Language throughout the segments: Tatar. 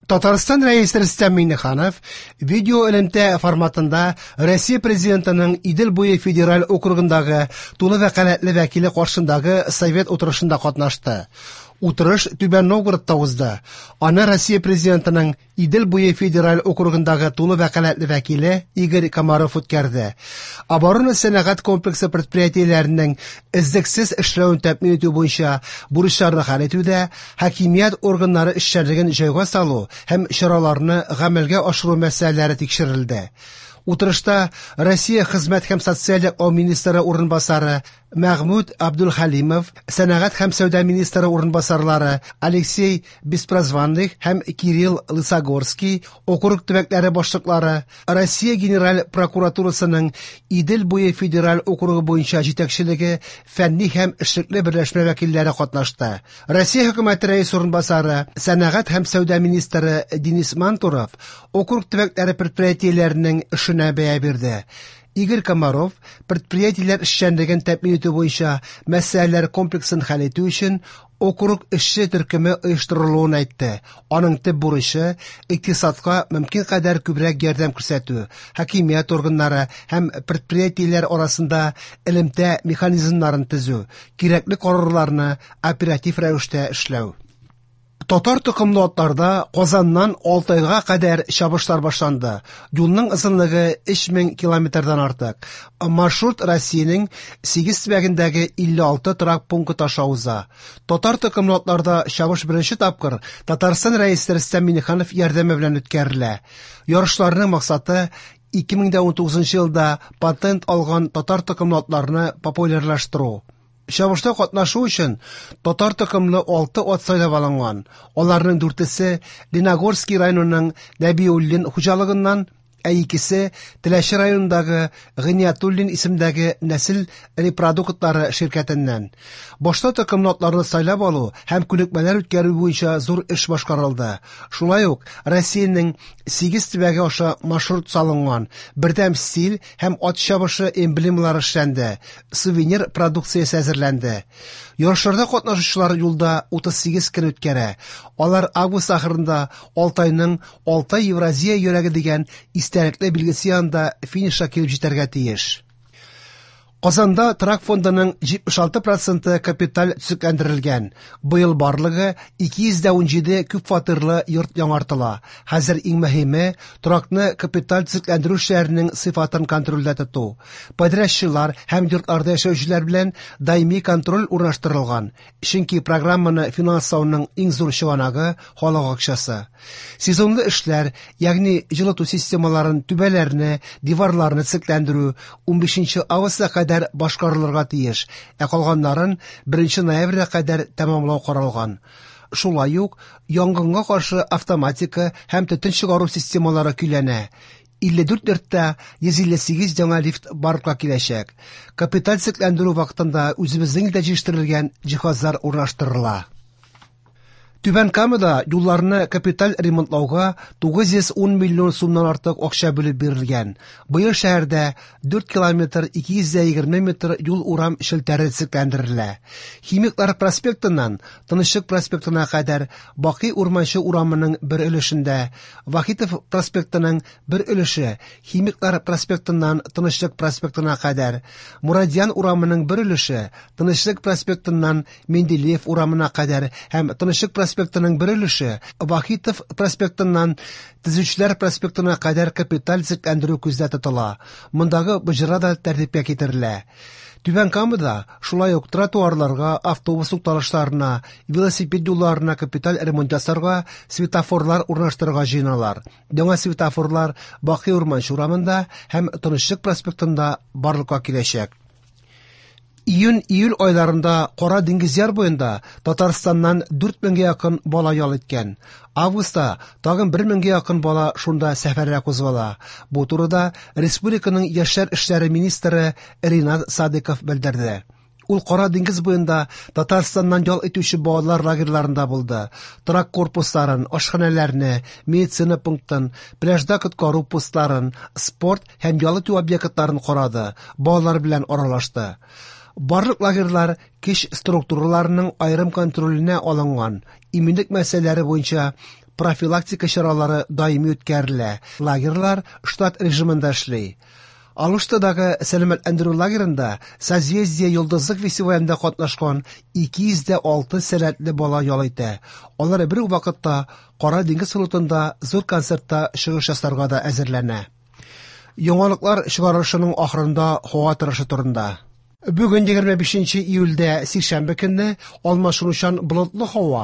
Татарстан Рәисе Рөстәм Миңнеханов видеоэлемтә форматында Россия Президентының Идел буе федераль округындагы тулы вәкаләтле вәкиле каршындагы Совет утырышында катнашты. Утырыш Түбән Новгородта узды. Аны Россия Президентының Идел буе федераль округындагы тулы вәкаләтле вәкиле Игорь Комаров үткәрде. Оборона-сәнәгать комплексы предприятиеләренең эзлексез эшләвен тәэмин итү буенча бурычларны хәл итүдә хакимият органнары эшчәнлеген җайга салу һәм чараларны гамәлгә ашыру мәсьәләләре тикшерелде. Утырышта Россия хезмәт һәм социаль яклау министры урынбасары Мәгъмүд Абдулхалимов, сәнәгать һәм сәүдә министры урынбасарлары Алексей Беспрозванных һәм Кирилл Лысогорский, округ төбәкләре башлыклары, Россия Генераль прокуратурасының Идел буе федераль округы буенча җитәкчелеге, фәнни һәм эшлекле берләшмә вәкилләре катнашты. Россия хөкүмәте рәис урынбасары, сәнәгать һәм сәүдә министры Денис Мантуров округ төбәкләре предприятиеләренең эшенә бәя бирде. Игорь Комаров предприятиеләр эшчәнлеген тәэмин итү буенча мәсьәләләр комплексын хәл итү өчен округ эшче төркеме оештырылуын әйтте. Аның төп бурычы икътисадка мөмкин кадәр күбрәк ярдәм күрсәтү, хакимият органнары һәм предприятиеләр арасында элемтә механизмнарын төзү, кирәкле карарларны оператив рәвештә эшләү. Татар токымлы атларда Казаннан Алтайга кадәр чабышлар башланды. Юлның озынлыгы 3000 километрдан артык. Маршрут Россиянең 8 төбәгендәге 56 торак пункт аша уза. Татар токымлы атларда чабыш беренче тапкыр Татарстан Рәисе Рөстәм Миңнеханов ярдәме белән үткәрелә. Ярышларның максаты 2019 елда патент алган татар токымлы атларны популярлаштыру. Чабышта катнашу өчен татар токымлы 6 ат сайлап алынган. Аларның дүртесе Леногорский районының Нәбиуллин хуҗалыгыннан, ә икесе Теләче районындагы Гыйниятуллин исемдәге нәсел репродуктлары ширкәтеннән. Башта токымлы атларны сайлап алу һәм күнекмәләр үткәрү буенча зур эш башкарылды. Шулай ук Россиянең 8 төбәге аша маршрут салынган, бердәм стиль һәм ат чабышы эмблемалары эшләнде, сувенир продукциясе әзерләнде. Ярышларда катнашучылар юлда 38 көн үткәрә. Алар август ахырында Алтайның Алтай Евразия йөрәге дигән истәлекле билгесе янында финишка килеп җитәргә тиеш. Казанда торак фондының 76 проценты капиталь төзекләндерелгән. Быел барлыгы 217 күп фатирлы йорт яңартыла. Хәзер иң мөһиме торакны капиталь төзекләндерү эшләренең сыйфатын контрольдә тоту. Подрядчылар һәм йортларда яшәүчеләр белән даими контроль урнаштырылган. Чөнки программаны финанслауның иң зур чыганагы халык акчасы. Сезонлы эшләр, ягъни җылыту системаларын, түбәләрне, диварларны төзекләндерү 15 августка кадәр башкарылырга тиеш, ә калганнарын 1 ноябрьгә кадәр тәмамлау каралган. Шулай ук янгынга каршы автоматика һәм төтен чыгару системалары көйләнә. 54 йортта 158 яңа лифт барлыкка киләчәк. Капиталь төзекләндерү вакытында үзебезнең илдә җитештерелгән җиһазлар урнаштырыла. Түбән Камада юлларны капиталь ремонтлауга 910 миллион сумнан артык акча бүлеп бирелгән. Быел шәһәрдә 4 километр 220 метр юл урам челтәре төзекләндерелә. Химиклар проспектыннан Тынычлык проспектына кадәр Бакый Урманчы урамының бер өлешендә, Вахитов проспектының бер өлеше Химиклар проспектыннан Тынычлык проспектына кадәр, Мурадьян урамының бер өлеше Тынычлык проспектыннан Менделеев урамына кадәр һәм Тынычлык проспектының бер өлеше Вахитов проспектыннан Төзүчеләр проспектына кадәр капиталь төзекләндерү күздә тотыла. Мондагы боҗра да тәртипкә китерелә. Түбән Камада шулай ук тротуарларга, автобус тукталышларына, велосипед юлларына капиталь ремонт ясарга, светофорлар урнаштырырга җыеналар. Яңа светофорлар Бакый Урманчы урамында һәм Тынычлык проспектында барлыкка киләчәк. Июнь-июль айларында Кара диңгез яр буенда Татарстаннан 4000гә якын бала ял иткән. Августта тагын 1000гә якын бала шунда сәфәргә кузгала. Бу турыда республиканың яшьләр эшләре министры Ринат Садыков белдерде. Ул Кара диңгез буенда Татарстаннан ял итүче балалар лагерьларында булды. Торак корпусларын, ашханәләрне, медицина пунктын, пляжда коткару постларын, спорт һәм ял итү объектларын карады, балалар белән аралашты. Барлык лагерьлар көч структураларының аерым контроленә алынган. Иминлек мәсьәләләре буенча профилактика чаралары даими үткәрелә. Лагерьлар штат режимында эшли. Алуштадагы сәламәтләндерү лагерында «Созвездие-Йолдызлык» фестивалендә катнашкан 206 сәләтле бала ял итә. Алар бер үк вакытта Кара диңгез флотында зур концертта чыгыш ясарга да әзерләнә. Яңалыклар чыгарылышының ахырында һава торышы турында. Бүген 25 июльдә сишәмбе көнне алмашынучан болытлы һава,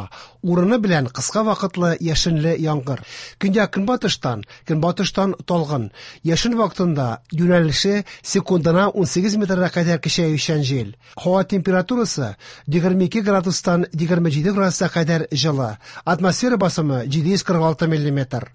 урыны белән кыска вакытлы яшенле яңгыр. Көньяк көнбатыштан, көнбатыштан талгын. Яшен вакытында юнәлеше секундына 18 метрга кадәр көчәючән җил. Һава температурасы 22 градустан 27 градуска кадәр җылы. Атмосфера басымы 746 миллиметр.